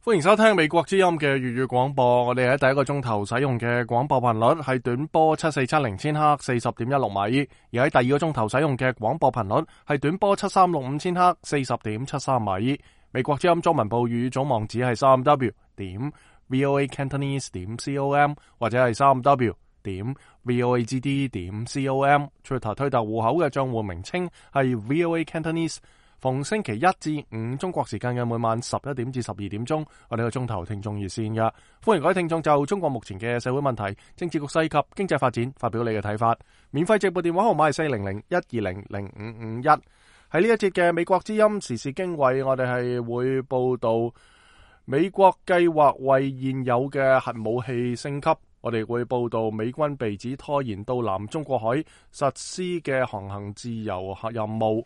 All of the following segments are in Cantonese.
歡迎收聽美國之音嘅粵語廣播。我哋喺第一個鐘頭使用嘅廣播頻率係短波7470千赫40.16米，而喺第二個鐘頭使用嘅廣播頻率係短波7365千赫40.73米。美國之音中文部粵語總網址係3w.voacantonese.com 或者係3w.voagd.com。Twitter 推特戶口嘅賬戶名稱係 VOA Cantonese。逢星期一至五中國時間嘅每晚11點至12點鐘，我哋個鐘頭聽眾熱線嘅，歡迎各位聽眾就中國目前嘅社會問題、政治局勢及經濟發展發表你嘅睇法。免費直播電話號碼係400-120-0551。喺呢一節嘅美國之音時事經緯，我哋係會報道美國計劃為現有嘅核武器升級，我哋會報道美軍被指拖延到南中國海實施嘅航行自由任務，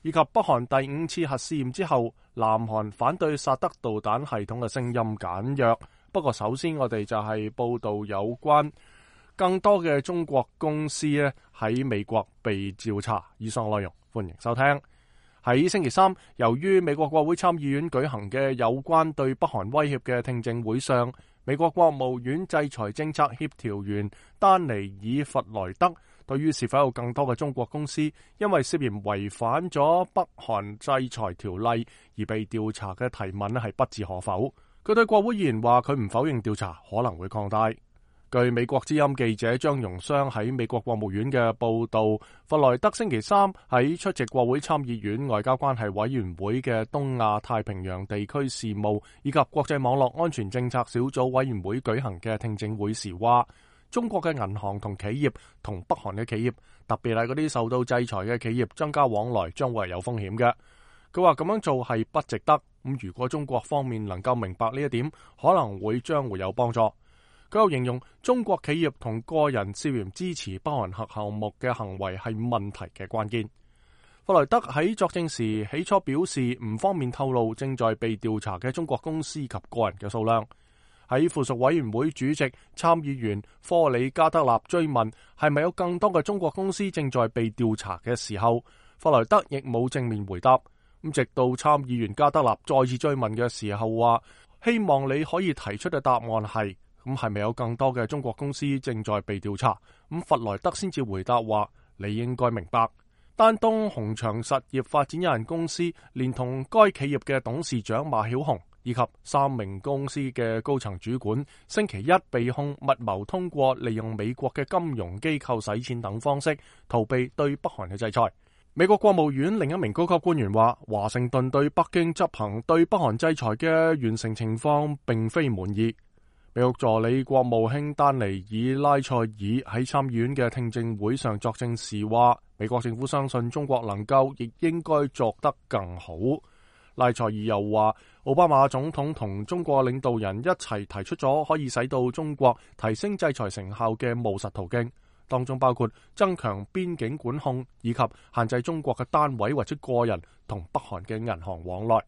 以及北韓第5次核試驗之後，南韓反對薩德導彈系統嘅聲音簡約。不過首先我哋就係報道有關更多嘅中國公司咧喺美國被調查。以上內容歡迎收聽。喺星期三，由於美國國會參議院舉行嘅有關對北韓威脅嘅聽證會上，美國國務院制裁政策協調員丹尼爾弗萊德對於是否有更多嘅中國公司因為涉嫌違反咗北韓制裁條例而被調查嘅提問係不置可否。佢對國會議員話佢唔否認調查可能會擴大。據美國之音記者張榮湘喺美國國務院嘅報道，弗萊德星期三喺出席國會參議院外交關係委員會嘅東亞太平洋地區事務以及國際網絡安全政策小組委員會舉行嘅聽證會時話，中國嘅銀行同企業同北韓嘅企業，特別係嗰啲受到制裁嘅企業增加往來將會係有風險嘅。佢話咁樣做係不值得。如果中國方面能夠明白呢一點，可能將會有幫助。佢又形容中國企業同個人涉嫌支持北韓核項目嘅行為係問題嘅關鍵。弗萊德喺作證時起初表示唔方便透露正在被調查嘅中國公司及個人嘅數量。喺附屬委員會主席參議員科里加德納追問係咪有更多嘅中國公司正在被調查嘅時候，弗萊德亦冇正面回答。直到參議員加德納再次追問嘅時候話，希望你可以提出嘅答案係咪有更多嘅中國公司正在被調查？弗萊德先至回答話，你應該明白，丹東鴻翔實業發展有限公司連同該企業嘅董事長馬曉紅以及3名公司嘅高層主管，星期一被控密謀通過利用美國嘅金融機構洗錢等方式逃避對北韓嘅制裁。美國國務院另一名高級官員話，華盛頓對北京執行對北韓制裁嘅完成情況並非滿意。美國助理國務卿丹尼爾拉塞爾喺參議院嘅聽證會上作證時話，美國政府相信中國能夠亦應該做得更好。拉塞爾又話，奧巴馬總統同中國領導人一齊提出咗可以使到中國提升制裁成效嘅務實途徑，當中包括增強邊境管控以及限制中國嘅單位或者個人同北韓嘅銀行往來。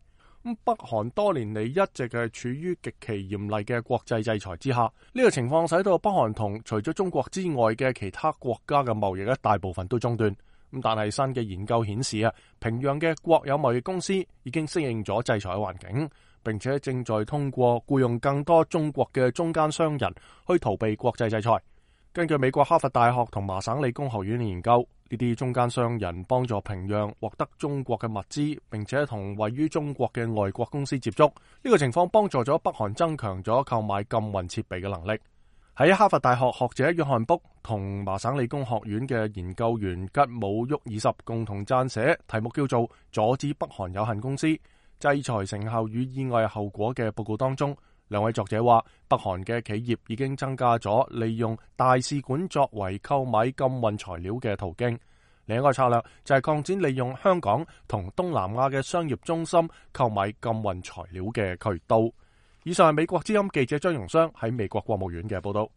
北韓多年嚟一直係處於極其嚴厲嘅國際制裁之下，呢個情況使到北韓同除咗中國之外嘅其他國家嘅貿易大部分都中斷。但係新嘅研究顯示平壤嘅國有貿易公司已經適應咗制裁環境，並且正在通過僱用更多中國嘅中間商人去逃避國際制裁。根據美國哈佛大學同麻省理工學院嘅研究，呢啲中間商人幫助平壤獲得中國嘅物資，並且同位於中國嘅外國公司接觸。呢個情況幫助咗北韓增強咗購買禁運設備嘅能力。喺哈佛大學學者約翰卜同麻省理工學院嘅研究員吉姆沃爾什共同撰寫題目叫做《阻止北韓有限公司制裁成效與意外後果》嘅報告當中，兩位作者話，北韓嘅企業已經增加咗利用大使館作為購買禁運材料嘅途徑。另一個策略就係擴展利用香港同東南亞嘅商業中心購買禁運材料嘅渠道。以上係美國之音記者張榮湘喺美國國務院嘅報道。